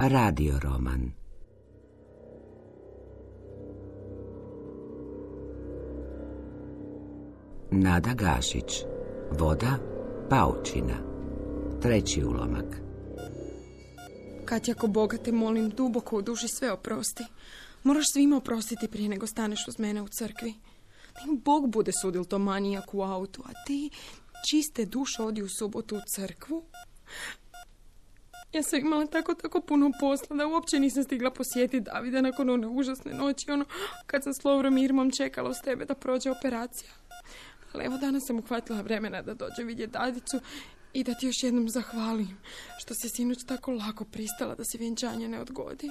Radio roman. Nada Gašić. Voda, paučina. 3. ulomak. Katja, ako Boga te molim, duboko u duši sve oprosti. Moraš svima oprostiti prije nego staneš uz mene u crkvi. Bog bude sudil to manijak u autu, a ti čiste duše odi u subotu u crkvu. Ja sam imala tako puno posla da uopće nisam stigla posjetiti Davida nakon one užasne noći, kad sam s Lovrom i Irmom čekala uz tebe da prođe operacija. Ali evo danas sam uhvatila vremena da dođe vidjeti Dadicu i da ti još jednom zahvalim što si sinoć tako lako pristala da se vjenčanje ne odgodi.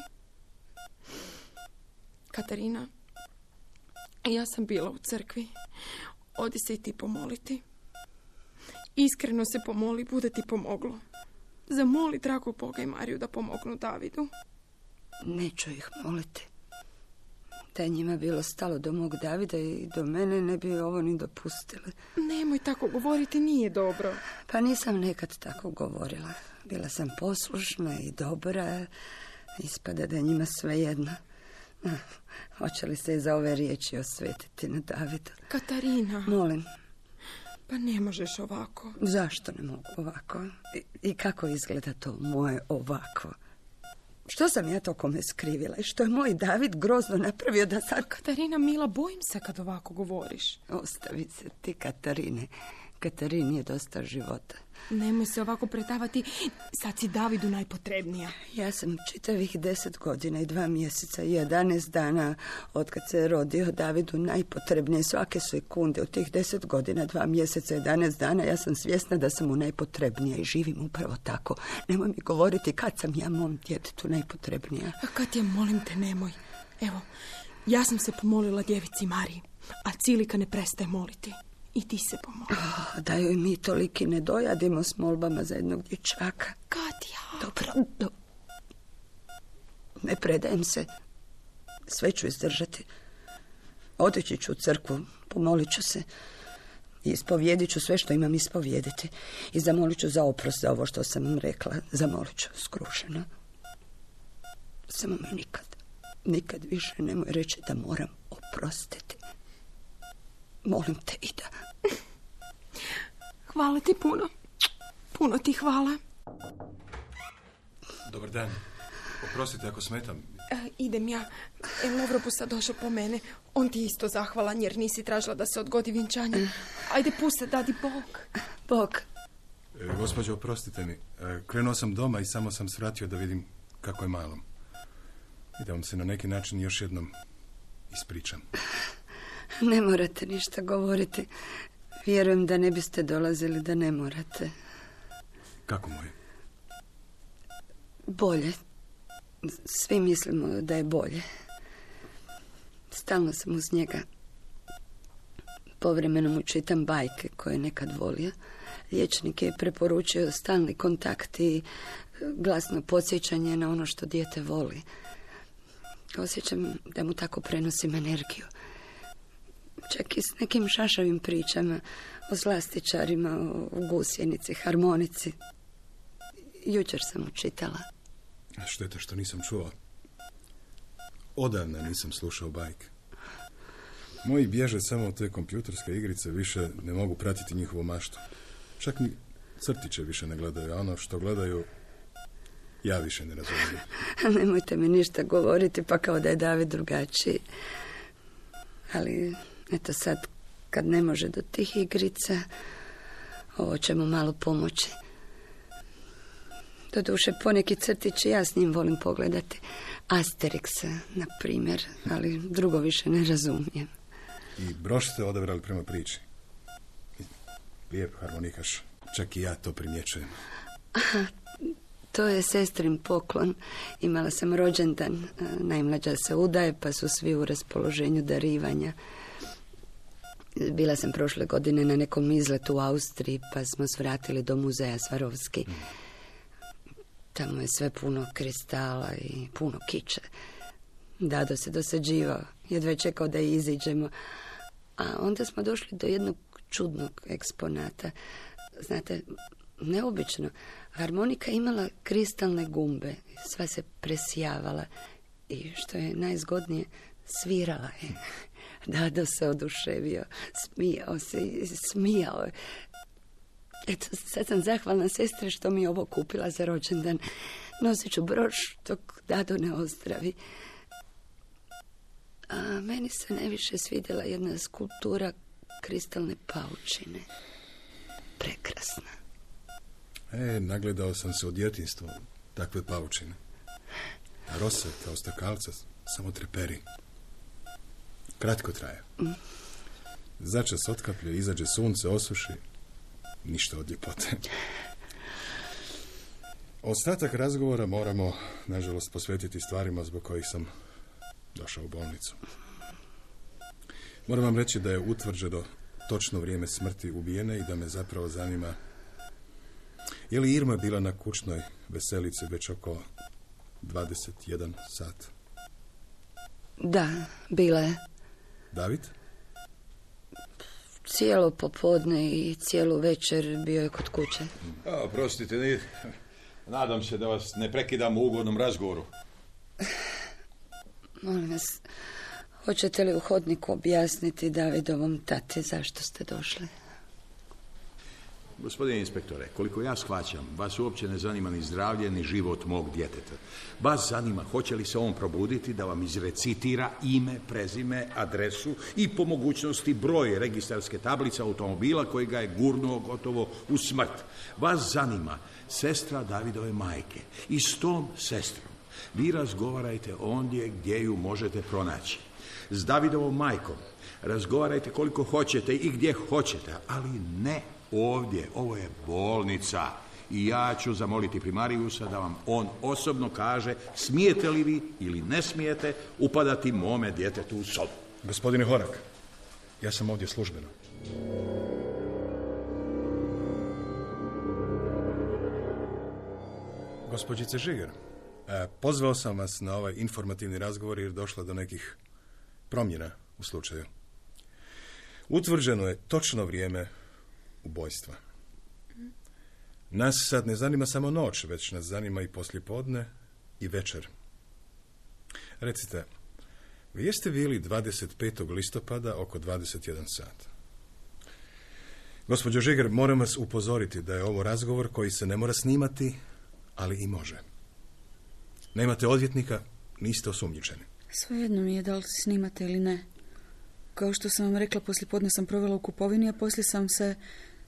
Katarina, ja sam bila u crkvi. Odi se i ti pomoliti. Iskreno se pomoli, bude ti pomoglo. Zamoli dragog Boga i Mariju da pomognu Davidu. Neću ih moliti. Da je njima bilo stalo do mog Davida i do mene, ne bi ovo ni dopustili. Nemoj tako govoriti, nije dobro. Pa nisam nekad tako govorila. Bila sam poslušna i dobra. Ispada da je njima svejedno. Hoće li se za ove riječi osvetiti na Davidu? Katarina. Molim. Pa ne možeš ovako. Zašto ne mogu ovako? I kako izgleda to moje ovako? Što sam ja to kome skrivila i što je moj David grozno napravio da sad... Katarina, mila, bojim se kad ovako govoriš. Ostavi se ti, Katarine. Katarini je dosta života. Nemoj se ovako predavati. Sad si Davidu najpotrebnija. Ja sam čitavih 10 godina i 2 mjeseca i 11 dana otkad se rodio Davidu najpotrebnije. Svake sekunde od tih 10 godina, 2 mjeseca i 11 dana ja sam svjesna da sam mu najpotrebnija i živim upravo tako. Nemoj mi govoriti kad sam ja mom djetetu najpotrebnija. A kad je, molim te, nemoj. Evo, ja sam se pomolila djevici Mariji, a Cilika ne prestaje moliti. I ti se pomoli. Da joj mi toliki ne dojadimo s molbama za jednog dječaka. Katja. Dobro. Ne predajem se. Sve ću izdržati. Otići ću u crkvu, pomolit ću se. I ispovijedit ću sve što imam ispovijediti. I zamolit ću za oprost za ovo što sam vam rekla. Zamolit ću skrušeno. Samo mi nikad više nemoj reći da moram oprostiti. Molim te, Ida. Hvala ti puno. Puno ti hvala. Dobar dan. Oprostite ako smetam. Idem ja. Lovro bu sad došao po mene. On ti isto zahvalan jer nisi tražila da se odgodi vjenčanje. Ajde, pusti, dadi Bog. Bog. Gospođo, oprostite mi. Krenuo sam doma i samo sam svratio da vidim kako je malom. I da vam se na neki način još jednom ispričam. Ne morate ništa govoriti. Vjerujem da ne biste dolazili da ne morate. Kako mu je? Bolje. Svi mislimo da je bolje. Stalno sam uz njega. Povremeno mu čitam bajke koje je nekad volio. Liječnik je preporučio stalni kontakt i glasno podsjećanje na ono što dijete voli. Osjećam da mu tako prenosim energiju. Čak i s nekim šašavim pričama o slastičarima, o gusjenici, harmonici. Jučer sam mu čitala. Šteta što nisam čuo. Odavna nisam slušao bajke. Moji bježe samo od te kompjuterske igrice, više ne mogu pratiti njihovu maštu. Čak ni crtiće više ne gledaju, a ono što gledaju ja više ne razumijem. Nemojte mi ništa govoriti, pa kao da je David drugačiji. Ali eto sad, kad ne može do tih igrica, ovo će mu malo pomoći. Doduše, poneki crtići ja s njim volim pogledati. Asterixa, na primjer, ali drugo više ne razumijem. I broš ste odabrali prema priči. Lijep harmonikaš, čak i ja to primjećujem. Aha, to je sestrin poklon. Imala sam rođendan, najmlađa se udaje, pa su svi u raspoloženju darivanja. Bila sam prošle godine na nekom izletu u Austriji, pa smo svratili do muzeja Svarovski. Tamo je sve puno kristala i puno kiče. Dado se dosađivao, jedva čekao da iziđemo. A onda smo došli do jednog čudnog eksponata. Znate, neobično. Harmonika imala kristalne gumbe, sva se presjavala i što je najzgodnije, svirala je. Dado se oduševio, smijao se i smijao je. Eto, sad sam zahvalna sestre što mi je ovo kupila za rođendan. Nosit ću broš dok Dado ne ozdravi. A meni se najviše svidjela jedna skulptura kristalne paučine. Prekrasna. Nagledao sam se u djetinjstvu takve paučine. A rose kao stakalca samo treperi. Kratko traje. Začas otkaplje, izađe sunce, osuši. Ništa od ljepote. Ostatak razgovora moramo, nažalost, posvetiti stvarima zbog kojih sam došao u bolnicu. Moram vam reći da je utvrđeno točno vrijeme smrti ubijene i da me zapravo zanima je li Irma bila na kućnoj veselici već oko 21 sat. Da, bila je. David? Cijelo popodne i cijelu večer bio je kod kuće. Prostite, nadam se da vas ne prekidam u ugodnom razgovoru. Molim vas, hoćete li u hodniku objasniti Davidovom tati zašto ste došli? Gospodine inspektore, koliko ja shvaćam, vas uopće ne zanima ni zdravlje, ni život mog djeteta. Vas zanima hoće li se on probuditi da vam izrecitira ime, prezime, adresu i po mogućnosti broj registarske tablice automobila koji ga je gurnuo gotovo u smrt. Vas zanima sestra Davidove majke i s tom sestrom vi razgovarajte ondje gdje ju možete pronaći. S Davidovom majkom razgovarajte koliko hoćete i gdje hoćete, ali ne ovdje. Ovo je bolnica i ja ću zamoliti primarijusa da vam on osobno kaže smijete li vi ili ne smijete upadati mome djetetu u sobu. Gospodine Horak, ja sam ovdje službeno. Gospođice Žiger, pozvao sam vas na ovaj informativni razgovor jer došlo do nekih promjena u slučaju. Utvrđeno je točno vrijeme ubojstva. Nas sad ne zanima samo noć, već nas zanima i poslijepodne i večer. Recite, vi jeste bili 25. listopada oko 21 sat. Gospođo Žiger, moram vas upozoriti da je ovo razgovor koji se ne mora snimati, ali i može. Nemate odvjetnika, niste osumnjičeni. Svejedno mi je da li snimate ili ne. Kao što sam vam rekla, poslijepodne sam provela u kupovini, a poslije sam se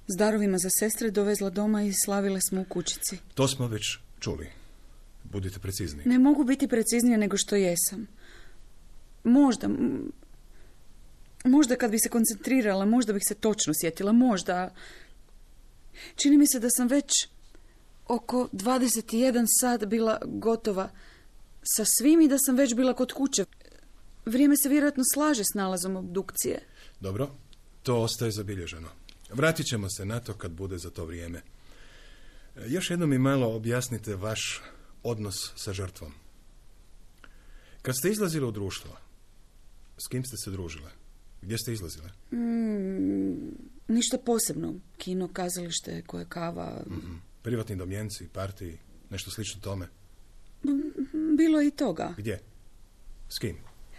s darovima za sestre dovezla doma i slavile smo u kućici. To smo već čuli. Budite precizni. Ne mogu biti preciznije nego što jesam. Možda kad bi se koncentrirala, možda bih se točno sjetila, možda. Čini mi se da sam već oko 21 sat bila gotova sa svim i da sam već bila kod kuće. Vrijeme se vjerojatno slaže s nalazom obdukcije. Dobro, to ostaje zabilježeno. Vratit ćemo se na to kad bude za to vrijeme. Još jednom mi malo objasnite vaš odnos sa žrtvom. Kad ste izlazile u društvo, s kim ste se družile? Gdje ste izlazile? Ništa posebno. Kino, kazalište, koje kava. Privatni domjenci, partiji, nešto slično tome? Bilo je i toga. Gdje? S kim?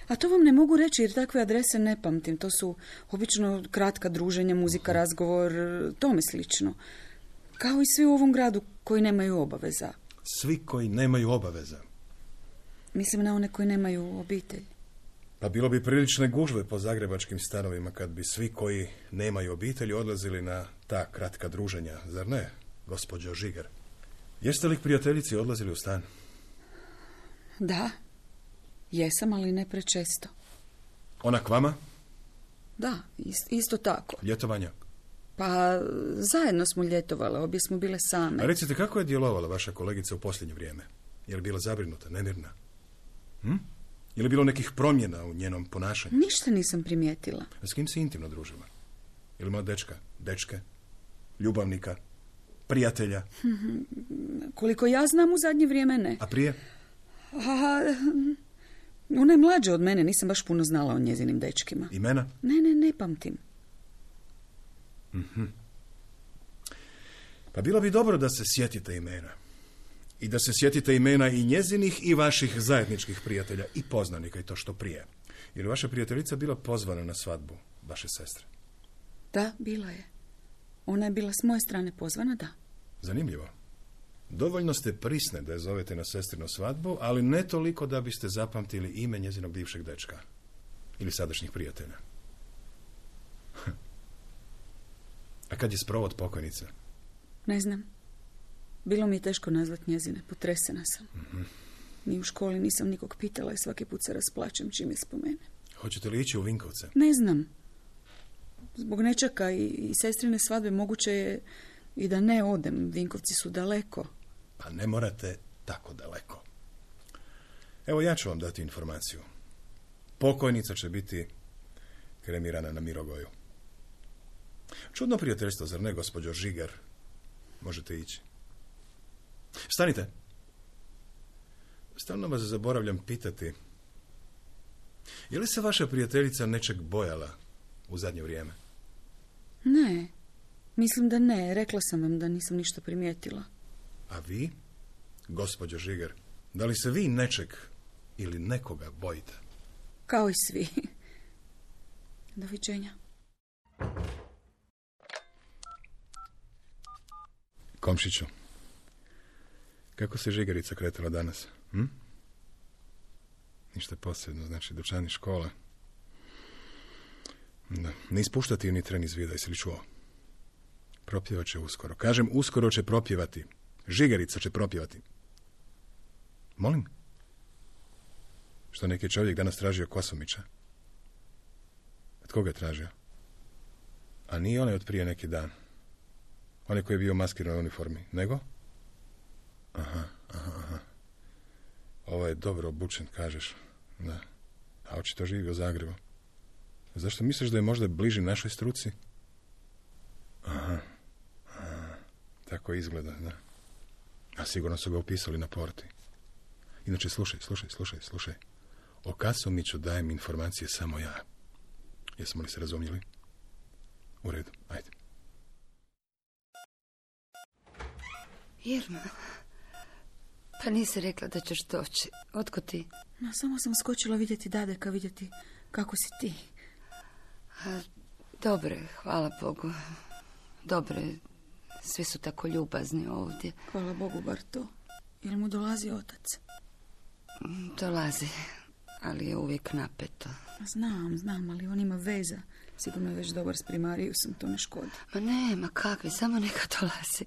A to vam ne mogu reći jer takve adrese ne pamtim. To su obično kratka druženja, muzika, razgovor, tome slično. Kao i svi u ovom gradu koji nemaju obaveza. Svi koji nemaju obaveza? Mislim na one koji nemaju obitelj. Pa bilo bi prilične gužve po zagrebačkim stanovima kad bi svi koji nemaju obitelji odlazili na ta kratka druženja, zar ne, gospođo Žiger? Jeste li k prijateljici odlazili u stan? Da, jesam, ali ne prečesto. Ona k vama? Da, isto tako. Ljetovanja? Pa zajedno smo ljetovale, obje smo bile same. A recite, kako je djelovala vaša kolegica u posljednje vrijeme? Je li bila zabrinuta, nemirna? Je li bilo nekih promjena u njenom ponašanju? Ništa nisam primijetila. A s kim se intimno družila? Je li ima dečke, ljubavnika, prijatelja? Koliko ja znam, u zadnje vrijeme ne. A prije? Ona je mlađa od mene, nisam baš puno znala o njezinim dečkima. Imena? Ne pamtim. Pa bilo bi dobro da se sjetite imena. I da se sjetite imena i njezinih i vaših zajedničkih prijatelja i poznanika i to što prije. Jer vaša prijateljica bila pozvana na svadbu vaše sestre. Da, bila je. Ona je bila s moje strane pozvana, da. Zanimljivo. Dovoljno ste prisne da je zovete na sestrinu svadbu, ali ne toliko da biste zapamtili ime njezinog bivšeg dečka. Ili sadašnjih prijatelja. A kad je sprovod pokojnice? Ne znam. Bilo mi je teško nazvat njezine. Potresena sam. Ni u školi nisam nikog pitala i svaki put se rasplačem čim je spomene. Hoćete li ići u Vinkovce? Ne znam. Zbog nečaka i sestrine svadbe moguće je i da ne odem. Vinkovci su daleko. Pa ne morate tako daleko. Evo ja ću vam dati informaciju. Pokojnica će biti kremirana na Mirogoju. Čudno prijateljstvo, zar ne, gospođo Žigar? Možete ići. Stanite. Stalno vas zaboravljam pitati. Je li se vaša prijateljica nečeg bojala u zadnje vrijeme? Ne. Mislim da ne. Rekla sam vam da nisam ništa primijetila. A vi, gospođo Žigar, da li se vi nečeg ili nekoga bojite? Kao i svi. Doviđenja. Komšiću, kako se Žigarica kretala danas? Ništa posebno, znači dućani, škola. Da, ne ispuštati ju ni tren iz vida, jesi li čuo? Propjevat će uskoro. Kažem, uskoro će propjevati. Žigarica će propjevati. Molim? Što neki čovjek danas tražio Kosomića? Od koga je tražio? A nije onaj od prije neki dan. Onaj koji je bio maskiran u uniformi. Nego? Aha. Ovo je dobro obučen, kažeš. Da. A očito živi u Zagrebu. Zašto misliš da je možda bliži našoj struci? Aha. Tako izgleda, da. A sigurno su ga upisali na porti. Inače, slušaj. O Kasomiću dajem informacije samo ja. Jesmo li se razumjeli? U redu, ajde. Irma, pa nisi rekla da ćeš doći. Otko ti? No, samo sam skočila vidjeti Dadeka, vidjeti kako si ti. Dobre, hvala Bogu. Dobre, svi su tako ljubazni ovdje. Hvala Bogu, bar to. Jel mu dolazi otac? Dolazi, ali je uvijek napeto. Znam, ali on ima veza. Sigurno je već dobar s primarijusom, to ne škodi. Ma kakvi, samo neka dolazi.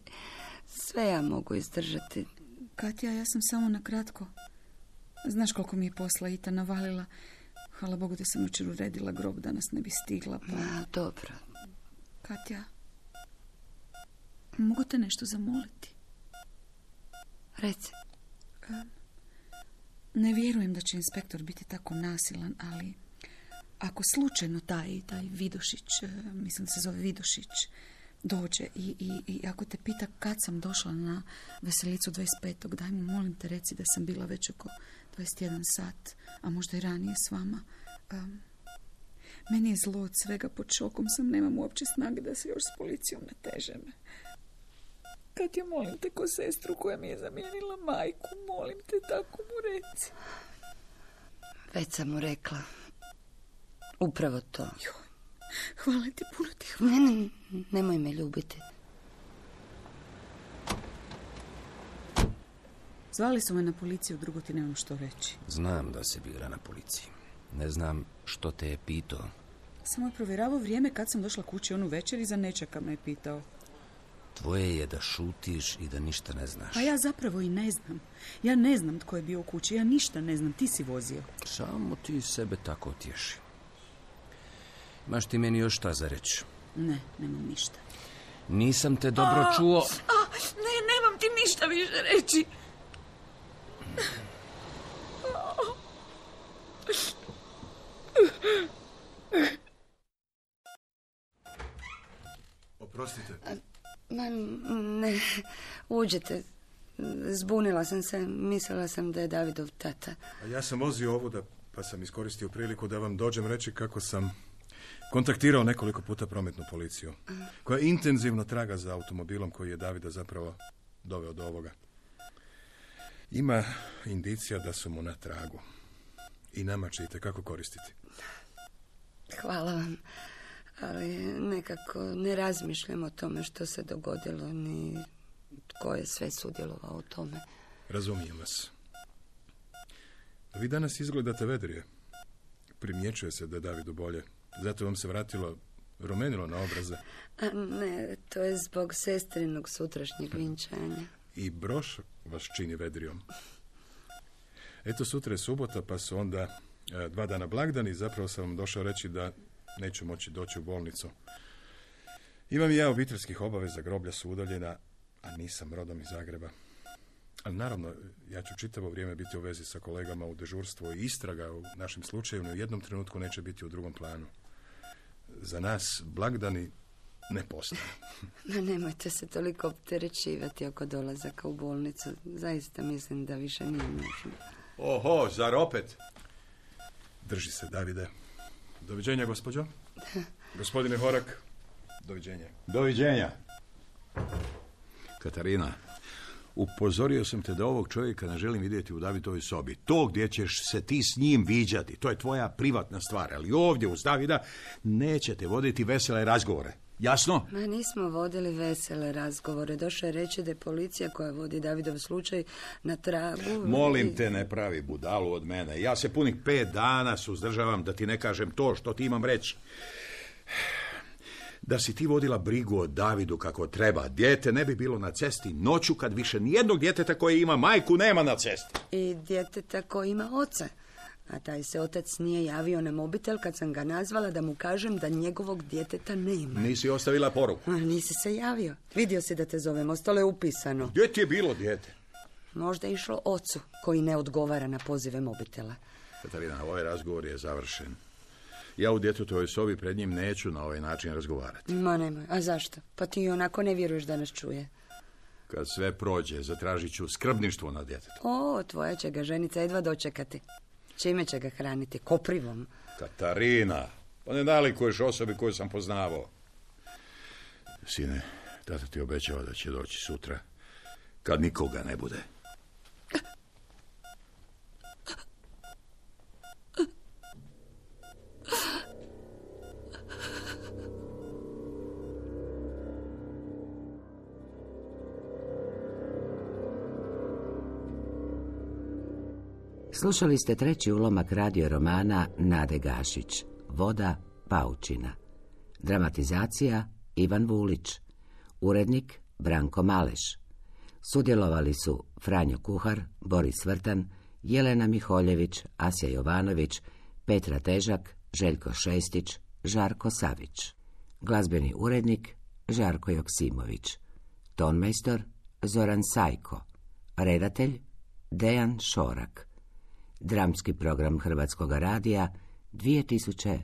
Sve ja mogu izdržati. Katja, ja sam samo na kratko. Znaš koliko mi je posla Ita navalila. Hvala Bogu da sam jučer uredila grob, da nas ne bi stigla. Pa... Dobro. Katja, mogu te nešto zamoliti? Reci. Ne vjerujem da će inspektor biti tako nasilan, ali ako slučajno taj Vidošić, mislim da se zove Vidošić, dođe i ako te pita kad sam došla na veselicu 25. daj mu, molim te, reci da sam bila već oko 21 sat, a možda i ranije s vama. Meni je zlo od svega, pod šokom sam, nemam uopće snage da se još s policijom natežem. Katja, molim te, ko sestru koja mi je zamijenila majku, molim te, tako mu reci. Već sam mu rekla. Upravo to. Joj, hvala ti, puno ti hvala. Ne, nemoj me ljubiti. Zvali su me na policiju, drugo ti nemam što reći. Znam da si bila na policiji. Ne znam što te je pitao. Samo je provjeravao vrijeme kad sam došla kući onu večer i za nečaka me je pitao. Tvoje je da šutiš i da ništa ne znaš. Pa ja zapravo i ne znam. Ja ne znam tko je bio u kući, ja ništa ne znam, ti si vozio. Samo ti sebe tako otješi. Imaš ti meni još šta za reći? Ne, nemam ništa. Nisam te dobro čuo. Ne, nemam ti ništa više reći. Oprostite. Ne, uđite. Zbunila sam se, mislila sam da je Davidov tata. A ja sam vozio ovu pa sam iskoristio priliku da vam dođem reći kako sam kontaktirao nekoliko puta prometnu policiju, koja intenzivno traga za automobilom koji je Davida zapravo doveo do ovoga. Ima indicija da su mu na tragu. I nama će itekako koristiti. Hvala vam, ali nekako ne razmišljam o tome što se dogodilo, ni tko je sve sudjelovao u tome. Razumijem vas. Vi danas izgledate vedrije. Primjećuje se da je Davidu bolje. Zato vam se vratilo rumenilo na obraze. A ne, to je zbog sestrinog sutrašnjeg vinčanja. I broš vas čini vedrijom. Eto, sutra je subota, pa su onda 2 dana blagdani. Zapravo sam vam došao reći da neću moći doći u bolnicu. Imam i ja obiteljskih obaveza, groblja su udaljena, a nisam rodom iz Zagreba. Ali naravno, ja ću čitavo vrijeme biti u vezi sa kolegama u dežurstvu i istraga u našem slučaju u jednom trenutku neće biti u drugom planu. Za nas blagdani ne postoje. No, nemojte se toliko opterećivati oko dolazaka u bolnicu. Zaista mislim da više nije nužno. Oho, zar opet? Drži se, Davide. Doviđenja, gospođo. Gospodine Horak, doviđenja. Doviđenja. Katarina, upozorio sam te da ovog čovjeka ne želim vidjeti u Davidovoj sobi. To gdje ćeš se ti s njim viđati, to je tvoja privatna stvar, ali ovdje uz Davida nećete voditi vesele razgovore. Jasno? Ma nismo vodili vesele razgovore. Došao je reći da je policija koja vodi Davidov slučaj na tragu. Molim te, ne pravi budalu od mene. Ja se punih 5 dana suzdržavam da ti ne kažem to što ti imam reći. Da si ti vodila brigu o Davidu kako treba, dijete ne bi bilo na cesti noću kad više nijednog djeteta koje ima majku nema na cesti. I djeteta koji ima oca. A taj se otac nije javio na mobitel kad sam ga nazvala da mu kažem da njegovog djeteta nema. Nisi ostavila poruku? Nisi se javio. Vidio si da te zovem, ostalo je upisano. Gdje ti je bilo dijete? Možda je išlo ocu koji ne odgovara na pozive mobitela. Katarina, ovaj razgovor je završen. Ja u djetetovoj sobi pred njim neću na ovaj način razgovarati. Ma nemoj, a zašto? Pa ti onako ne vjeruješ da nas čuje. Kad sve prođe, zatražit ću skrbništvo nad djetetom. O, tvoja će ga ženica jedva dočekati. Čime će ga hraniti? Koprivom? Katarina, pa ne nalikuješ osobi koju sam poznavao. Sine, tata ti obećava da će doći sutra, kad nikoga ne bude. Slušali ste 3. ulomak radio romana Nade Gašić, Voda paučina. Dramatizacija Ivan Vulić. Urednik Branko Maleš. Sudjelovali su Franjo Kuhar, Boris Vrtan, Jelena Miholjević, Asja Jovanović, Petra Težak, Željko Šestić, Žarko Savić. Glazbeni urednik Žarko Joksimović. Tonmajstor Zoran Sajko. Redatelj Dejan Šorak. Dramski program Hrvatskog radija 2012.